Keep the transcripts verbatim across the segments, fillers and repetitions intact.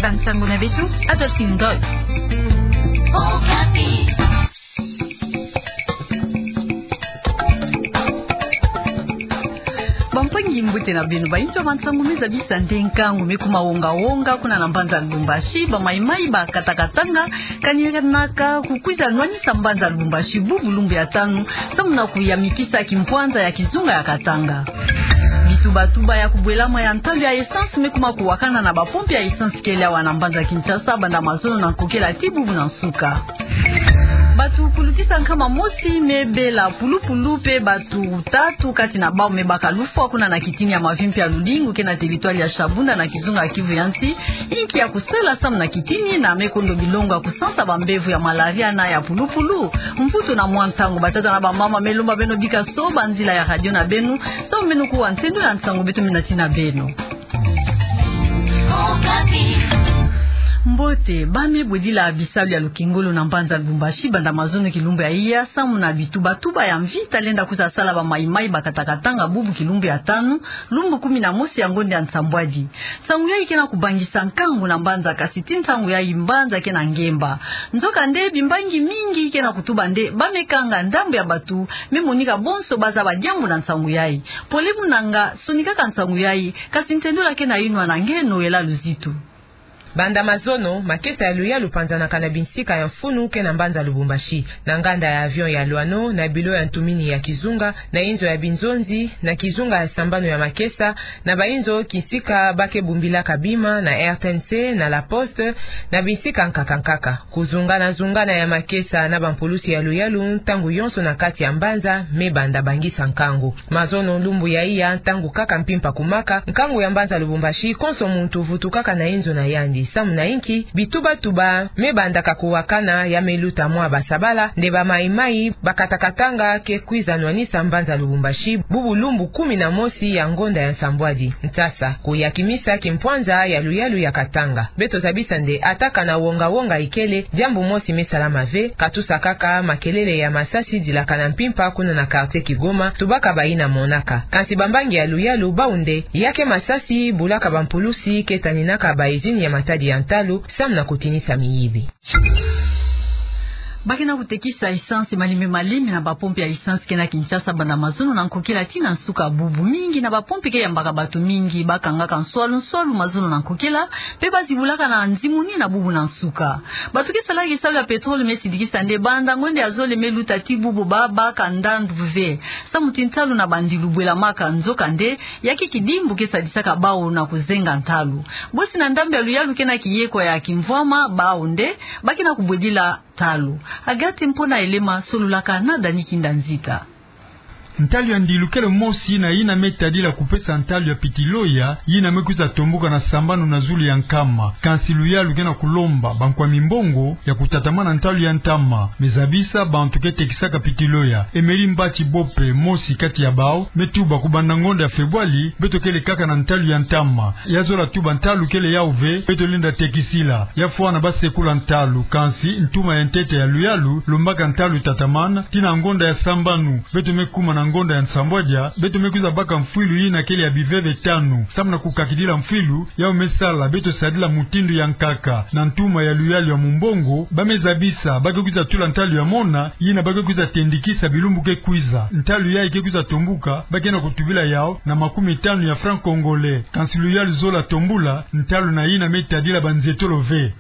Bansango na beto, Adolphine Ngoy. Bampangi, mbote na beno. Bainzo ya bansango me zabisa nde nkangu me kuma wonga-wonga kuna na mbanza Lubumbashi, bamaimai ba katakatanga kani kanaka kukwiza nwanisa mbanza Lubumbashi bubu lumbu ya tanu, samu na kuyamikisa kimpwanza ya kizunga ya Katanga. Bituba-tuba ya kubwelama ya ntalu ya essence me kuma kuwakana na bapompe ya essence kele awa na mbanza Kinshasa banda mazono na nkokela tii bubu na nsuka. Bato kulutisa nkama mosi me bela pulupulu mpe bato tatu kati na bawu me baka lufwa kuna na kitini ya mavimpi ya lulingu ke na territoire ya Shabunda na kizunga ya Kivu ya nsi, inki ya kusala samu na kitini na me kondo bilongo ya kusansa bambevo ya malaria na ya pulupulu? Mvutu na mwa ntango, batata na bamama, me lomba beno bika soba nzila ya radio na beno, samu beno kuwa nsendo ya nsango beto me natina beno. Mbote, ba me bwedila bisalu ya lukengolo na mbanza Lubumbashi banda mazono kilumbu ya iya, samu na bituba-tuba ya mvita lenda kwiza sala bamaimai ba katakatanga bubu kilumbu ya tanu, lumbu kumi na mosi ya ngonda ya nsambwadi. Nsangu yayi ke na kubangisa nkangu na mbanza, kasi tii ntangu yayi mbanza ke na ngemba. Nzokande, bimbangi mingi ke na kutuba nde ba me kanga ndambu ya bato me monika bonso ba zaba diambu na nsangu yayi. Pole munanga, sonikaka nsangu yayi, kasi ntendola ke na yinwa na nge Noëlla Luzitu. Banda mazono, makesa ya luyalu panzanaka na binsika ya mfunu ke na mbanza Lubumbashi, na nganda ya avion ya Loano, na bilo ya ntumini ya kizunga, na inzo ya binzonzi, na kizunga ya sambanu ya makesa, na bainzo kisika ba ke bumbilaka bima, na R T N C, na La Poste, na binsika nkaka-nkaka. Kuzungana-zungana ya makesa na bampulusi ya luyalu ntangu yonso na kati ya mbanza me banda bangisa nkangu. Mazono lumbu ya iya, ntangu kaka mpimpa kumaka, nkangu ya mbanza Lubumbashi, konso muntu vutukaka na inzo na yandi. Samu na inki? Bituba-tuba me bandaka kuwakana, ya me luta mwa basabala, nde bamaimai ba katakatanga ke kwiza nwanisa mbanza Lubumbashi bubu lumbu kumi na mosi ya ngonda ya nsambwadi. Nsasa, kuyakimisa kimpwanza ya luyalu ya Katanga. Beto zabisa nde ata kana wonga-wonga ikele, diambu mosi me salama ve, katusa kaka makelele ya masasi dilaka na mpimpa kuna na quartier Kigoma, tubaka bayina monaka. Kansi bambangi ya luyalu bawu nde, ya ke masasi bulaka bampulusi ke taninaka ba usine ya matadi ya ntalu, samu na kutinisa miyibi. Ba ke na kutekisa essence malembe-malembe na bapompe ya essence ke na Kinshasa banda mazono na nkokela tii na nsuka bubu. Mingi na bapompe ke yambaka bato mingi, ba kangaka nswalu-nswalu mazono na nkokela, mpe ba zibulaka na nzimuni na bubu na nsuka. Bato ke salaka kisalu ya pétrole me sidikisa nde banda ngonda ya zole me luta tii bubu ba baka ndandu ve, samu ti ntalu na bandilu bwelamaka. Nzokande, ya ke kidimbu ke sadisaka bawu na kuzenga ntalu. Bosi na ndambu ya luyalu ke na kiyeko ya kimvwama, bawu nde ba ke na kubwedila ntalu. Agathe Mpona Elema sololaka na Dani Kinda Nzita. Ntalu ya ndilu kele mosi na yina me tadila kupesa ntalu ya pitiloya, yina me kwiza tombuka na sambanu na zulu ya nkama. Kansi luyalu ke na kulomba bankwa mimbongo ya kutatamana ntalu ya ntama. Me zabisa bantu ke tekisaka pitiloya. Emery Mbatshi Bope, mosi kati ya bawu, me tuba: kubanda ngonda ya Febwali, beto kele kaka na ntalu ya ntama. Ya zola tuba ntalu kele yawu ve, beto lenda tekisila. Ya fwana ba sekula ntalu, kansi ntuma ya ntete ya luyalu lombaka ntalu tatamana tii na ngonda ya sambanu. Beto me kuma na ngonda ya nsambwadia, beto me kwiza baka mfwilu yina kele ya biveve tanu. Samu na kukakidila mfwilu, yawu me sala beto sadila mutindu ya nkaka. Na ntuma ya luyalu ya mumbongo, ba me zabisa ba ke kwiza tula ntalu ya mona, yina ba ke kwiza tendikisa bilumbu ke kwiza. Ntalu yayi ke kwiza tombuka, ba ke na kutubila yawu na makumi tanu ya francs congolais. Kansi luyalu zola tombula ntalu na yina me tadila banzetolo ve.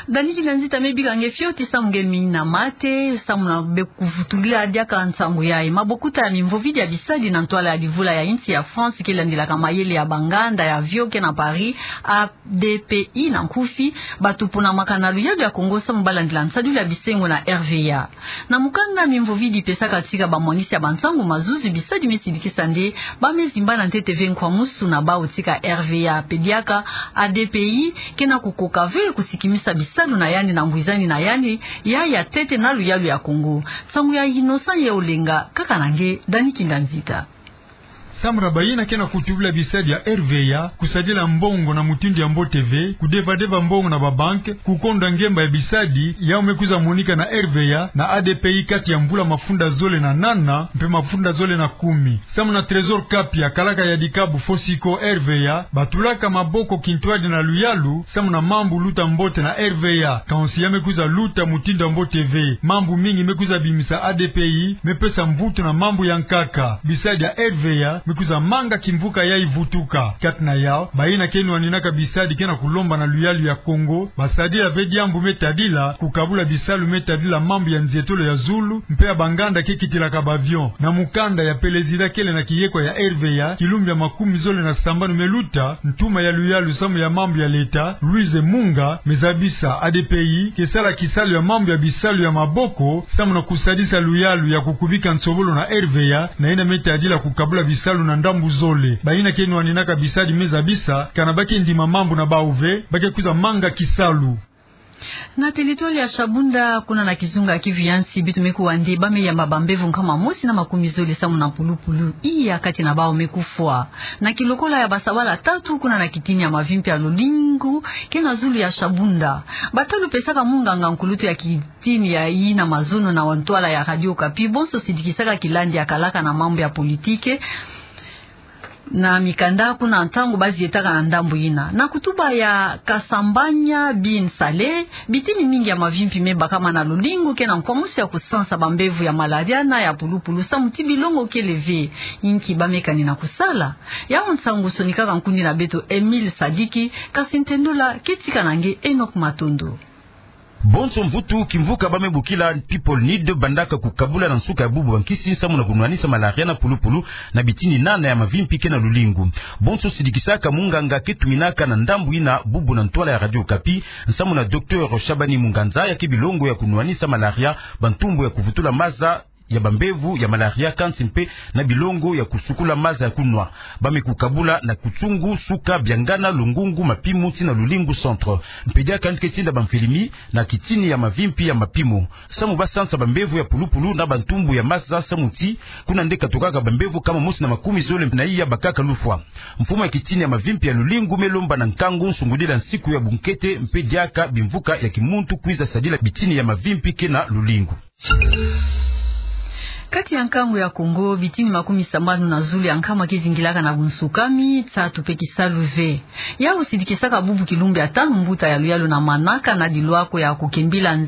Dani Kinda Nzita, me bika nge fioti samu nge mina mate, samu na be kuvutulila diaka nsangu yayi. Mabokuta ya mimvovidi ya bisadi na ntwala ya livula ya insi ya France ke landilaka mayele ya banganda ya avion ke na Paris, A D P I na nkufi, ba tuponamaka na luyalu ya Kongo samu ba landila nsadilu ya bisengo na R V A. Na mukanda mimvovidi pesaka tika bamwanisi ya bansangu mazuzi, bisadi me sidikisa nde ba me zimbana ntete ve nkwamusu na bawu tika R V A. Mpe diaka, A D P I ke na kukoka ve kusikimisa bisalu na yandi na ngwizani na yandi ya ya ntete na luyalu ya Kongo. Nsangu ya Innocent Yeolenga, kaka na nge Dani Kinda Nzita. Samu na bayina ke na kutubila bisadi ya R V A, kusadila mbongo na mutindu ya mbote ve, kudevadeva mbongo na babanke, kukonda ngemba ya bisadi, yau me kwiza monika na R V A na A D P I kati ya mvula mafunda zole na nana mpe mafunda zole na kumi. Samu na Trésor Kapi, ya kalaka ya dikabu Fosiko R V A, batulaka maboko kintwadi na luyalu samu na mambu luta mbote na R V A. Kansi ya me kwiza luta mutindu ya mbote ve. Mambu mingi me kwiza bimisa A D P I, me pesa mvutu na mambu ya nkaka. Bisadi ya R V A me kwiza manga kimvuka yayi vutuka. Kati na yau, bayina ke nwaninaka bisadi ke na kulomba na luyalu ya Kongo basadila ve diambu me tadila kukabula bisalu me tadila mambu ya nzietolo ya zulu mpe ya banganda ke kitilaka ba avion. Na mukanda ya pelezida kele na kiyekwa ya R V A, kilumbu ya makumi zole na sambanu me luta, ntuma ya luyalu samu ya mambu ya leta, Louise Munga, me zabisa A D P I ke sala kisalu ya mambu ya bisalu ya maboko samu na kusadisa luyalu ya kukubika nsobolo na R V A, na yina me tadila kukabula bisalu na ndambu zole. Bayina ke nwaninaka bisadi me zabisa, kana ba ke ndima mambu na bau ve, ba ke kwiza manga kisalu. Na territoire ya Shabunda, kuna na kizunga Kivu ya Nsi, beto me kuwa nde ba me yamba bambevo nkama mosi na makumi zole samu na pulupulu iya, kati na bau me kufwa. Na kilokola ya basabala tatu, kuna na kitini ya mavimpi ya Lulingu, ke na zulu ya Shabunda. Batalu pesaka munganga nkulutu ya kitini ya yina mazono na ntwala ya Radio Okapi, bonso sidikisaka kilandi ya kalaka na mambu ya politike na mikanda kuna ntangu ba zietaka na ndambu yina. Na kutuba ya Kasambanya bin Saleh, bitini mingi ya mavimpi me bakama na Lulingu ke na nkwamusu ya kusansa bambevo ya malaria na ya pulupulu samu ti bilongo kele ve. Inki ba me kanina kusala? Yau nsangu sonikaka nkundi na beto Emile Sadiki, kasi ntendula ke tika na nge Enoch Matondo. Bonso mvutu kimvuka ba me bokila People Need bandaka kukabula na nsuka ya bubu bankisi samu na kunwanisa malaria na pulupulu na bitini nana ya mavimpi ke na Lulingu. Bonso sidikisaka munganga ke tuminaka na ndambu yina bubu na ntwala ya Radio Okapi, samu na Docteur Shabani Munganza, ya ke bilongo ya kunwanisa malaria, bantumbu ya kuvutula maza ya bambevo ya malaria, kansi mpe na bilongo ya kusukula maza ya kunwa. Ba me kukabula na Kutsungu, Suka, Biangana, Lungungu, Mapimu tii na Lulingu Centre. Mpe diaka nde ke tinda bamfilimi na kitini ya mavimpi ya Mapimu samu ba sansa bambevo ya pulupulu na bantumbu ya maza samu ti kuna nde katukaka bambevo nkama mosi na makumi zole na iya bakaka lufwa. Mfumu ya kitini ya mavimpi ya Lulingu me lomba na nkangu nsungudila nsiku ya bunkete mpe diaka bimvuka ya kimuntu kwiza sadila bitini ya mavimpi ke na Lulingu. Kati ya nkangu ya Kongo, bitini makumi sambanu na zulu ya nkama ke zingilaka na bunsukami, nsatu mpe kisalu ve. Yau sidikisaka bubu kilumbu ya tanu mbuta ya luyalu na manaka na dilwako ya kukembila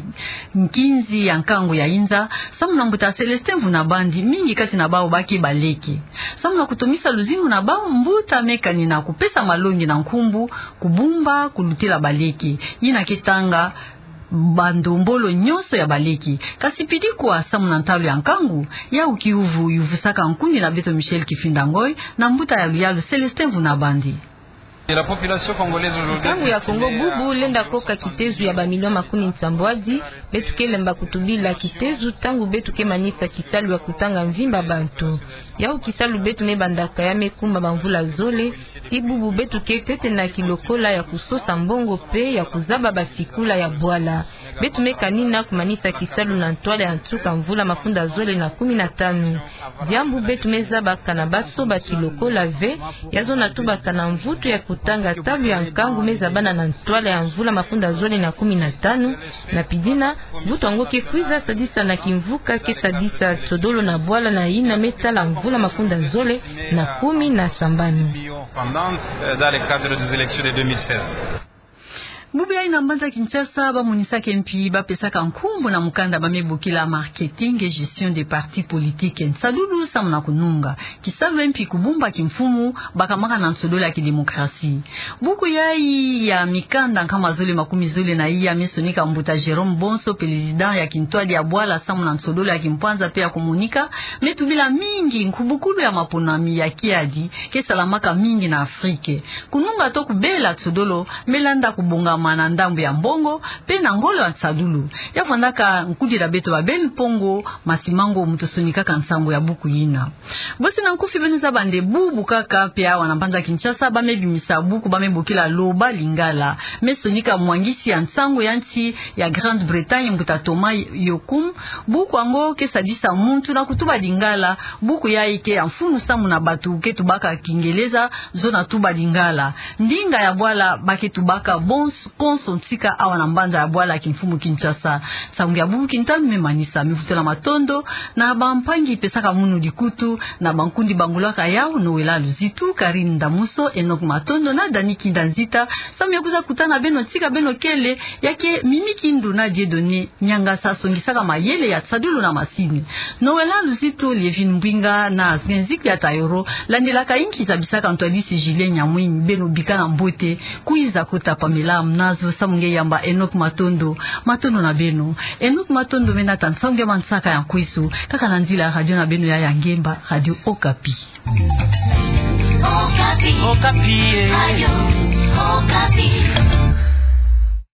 nkinzi ya nkangu ya inza, samu na mbuta Célestin Mvuna Bandi, mingi kati na bau ba ke baleke. Samu na kutomisa luzingu na bau, mbuta me kanina kupesa malongi na nkumbu kubumba kulutila baleke. Yina ke tanga bandombolo nyonso ya baleke. Kasi pidi kwa samu na ntalu ya nkangu, yau kiuvu yuvusaka nkundi na beto Michel Kifinda Ngoy na mbuta ya luyalu Célestin Mvuna Bandi. Nkangu ya Kongo bubu lenda koka kitezu ya bamilio makumi nsambwadi. Beto ke lemba kutubila kitezu ntangu beto ke manisa kisalu ya kutanga mvimba bantu. Yau kisalu beto me bandaka ya me kumba bamvula zole. Ti bubu beto ke tete na kilokola ya kusosa mbongo mpe ya kuzaba basikula ya bwala. Beto me kanina kumanisa kisalu na ntwala ya nsuka mvula mafunda zole na kumi na tanu. Diambu beto me zaba kana ba soba kilokola ve, ya zona tubaka na mvutu ya kutanga ntalu ya nkangu me zabana na ntwala ya mvula mafunda zole na kumi na tanu, na pidina, mvutu yango ke kwiza sadisa na kimvuka ke sadisa nsodolo na bwala na yina me tala mvula mafunda zole na kumi na sambanu. Pendant, euh, dans le cadre des élections de deux mille seize. Bubu yayi na mbanza Kinshasa, ba monisaka mpi ba pesaka nkumbu na mukanda ba me bokila Marketing et gestion des partis politiques, nsadulu samu na kununga kisalu mpi kubumba kimfumu, bakamaka na nsodolo ya kidemokrasi. Buku yayi ya mikanda nkama zole makumi zole na iya me sonika mbuta Jérôme Bonso, président ya kintwadi ya bwala samu na nsodolo ya kimpwanza mpe ya kumonika, me tubila mingi nkubukulu ya maponami ya kiadi ke salamaka mingi na Afrique. Kununga to kubela nsodolo me landa kubonga mana ndambu ya mbongo, pe na ngolo ya nsadulu. Ya fwanaka nkudila beto babeli mpongo, masimango mutu sonikaka nsangu ya buku yina. Bosi na nkufi beno zaba nde bubu kaka pe awa na mbanza Kinshasa, ba me bimisa buku, ba me bokila Loba Lingala. Me sonika mwangisi ya nsangu ya nsi ya Grande-Bretagne, mbuta Thomas Yocum. Buku yango ke sadisa muntu na kutuba Lingala. Buku yayi ke ya mfunu samu na bato ke tubaka Kingeleza, zona tuba Lingala. Ndinga ya bwala ba ke tubaka bonso konso ntika awa na mbanza ya bwala ya kimfumu Kinshasa. Nsangu ya bubu kintanu me manisa, me vutula matondo na bampangi pesaka munu likutu, na bankundi bangolaka yawu: Noëlla Luzitu, Karine Ndamuso, Enoch Matondo na Dani Kinda Nzita, samu ya kwiza kutana beno ntika beno kele. Ya ke Mimi Kindu na Dieudonné Niangasa songisaka mayele ya nsadulu na masini. Noëlla Luzitu, Lievine Mbwinga na Zenziki ya Tayoro, landilaka inki zabisaka ntwadisi Julien Nyamwing. Beno bika na mbote, kwiza kota Pamela Mnazo samu nge yamba Enoch Matondo. Matondo na beno. Enoch Matondo me nata nsangu ya mansaka ya nkweso, kaka na nzila ya radio na beno ya, ya ngemba, Radio Okapi. Okapi. Okapi, eh. Radio Okapi.